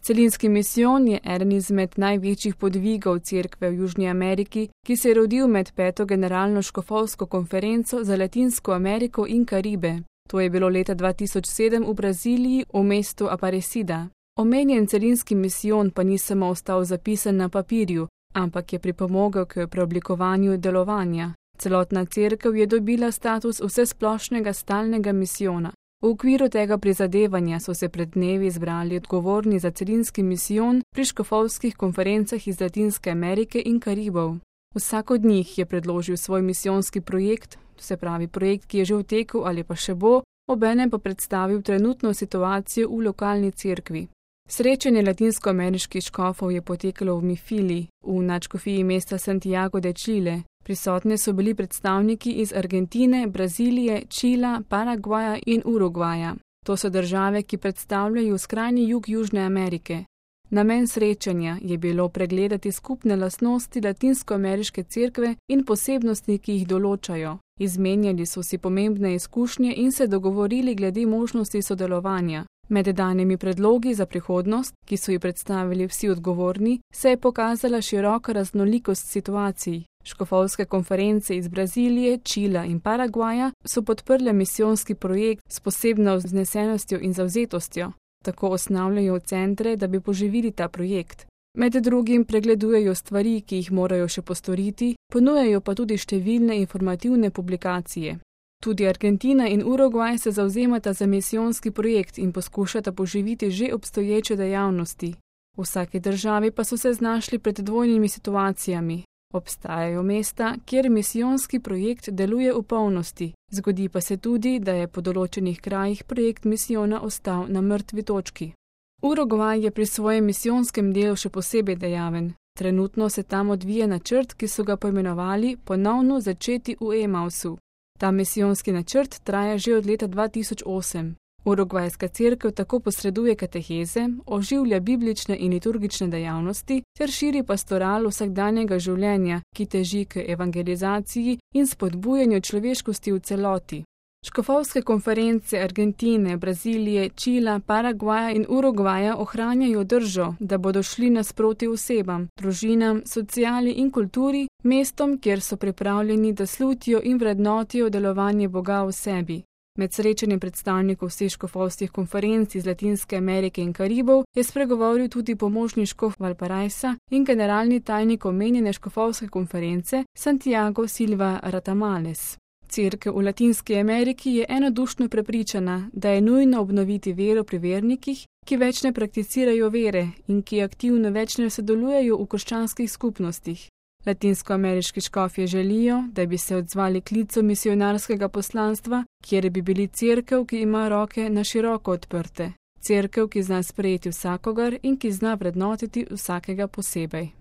Celinski misijon je eden izmed največjih podvigov cerkve v Južni Ameriki, ki se je rodil med 5. generalno škofovsko konferenco za Latinsko Ameriko in Karibe. To je bilo leta 2007 v Braziliji v mestu Aparecida. Omenjen celinski misijon pa ni samo ostal zapisan na papirju, ampak je pripomogel k preoblikovanju delovanja. Celotna cerkev je dobila status vsesplošnega stalnega misijona. V okviru tega prizadevanja so se pred dnevi zbrali odgovorni za celinski misijon pri škofovskih konferencah iz Latinske Amerike in Karibov. Vsak od njih je predložil svoj misijonski projekt, se pravi projekt, ki je že v teku ali pa še bo, obenem pa predstavil trenutno situacijo v lokalni cerkvi. Srečanje latinskoameriških škofov je potekalo v Mifili, v nadškofiji mesta Santiago de Chile. Prisotni so bili predstavniki iz Argentine, Brazilije, Čila, Paragvaja in Urugvaja. To so države, ki predstavljajo skrajni jug Južne Amerike. Namen srečanja je bilo pregledati skupne lastnosti latinskoameriške cerkve in posebnosti, ki jih določajo. Izmenjali so si pomembne izkušnje in se dogovorili glede možnosti sodelovanja. Med danimi predlogi za prihodnost, ki so ji predstavili vsi odgovorni, se je pokazala široka raznolikost situacij. Škofovske konference iz Brazilije, Čila in Paragvaja so podprle misijonski projekt s posebno vznesenostjo in zavzetostjo. Tako osnavljajo centre, da bi poživili ta projekt. Med drugim pregledujejo stvari, ki jih morajo še postoriti, ponujajo pa tudi številne informativne publikacije. Tudi Argentina in Urugvaj se zavzemata za misijonski projekt in poskušata poživiti že obstoječe dejavnosti. V vsaki državi pa so se znašli pred dvojnimi situacijami. Obstajajo mesta, kjer misijonski projekt deluje v polnosti. Zgodi pa se tudi, da je po določenih krajih projekt misijona ostal na mrtvi točki. Urugvaj je pri svojem misijonskem delu še posebej dejaven. Trenutno se tam odvija načrt, ki so ga poimenovali Ponovno začeti v Emausu. Ta misijonski načrt traja že od leta 2008. Urugvajska cerkev tako posreduje kateheze, oživlja biblične in liturgične dejavnosti ter širi pastoral vsakdanjega življenja, ki teži k evangelizaciji in spodbujanju človeškosti v celoti. Škofovske konference Argentine, Brazilije, Čila, Paragvaja in Urugvaja ohranjajo držo, da bodo šli nasproti osebam, družinam, sociali in kulturi, mestom, kjer so pripravljeni, da slutijo in vrednotijo delovanje Boga v sebi. Med srečanjem predstavnikov vseh škofovskih konferenc iz Latinske Amerike in Karibov je spregovoril tudi pomožni škof Valparaisa in generalni tajnik omenjene škofovske konference Santiago Silva Ratamales. Cerkev v Latinski Ameriki je enodušno prepričana, da je nujno obnoviti vero pri vernikih, ki več ne prakticirajo vere in ki aktivno več ne sodelujejo v krščanskih skupnostih. Latinskoameriški škofje želijo, da bi se odzvali klicu misionarskega poslanstva, kjer bi bili cerkev, ki ima roke na široko odprte. Cerkev, ki zna sprejeti vsakogar in ki zna vrednotiti vsakega posebej.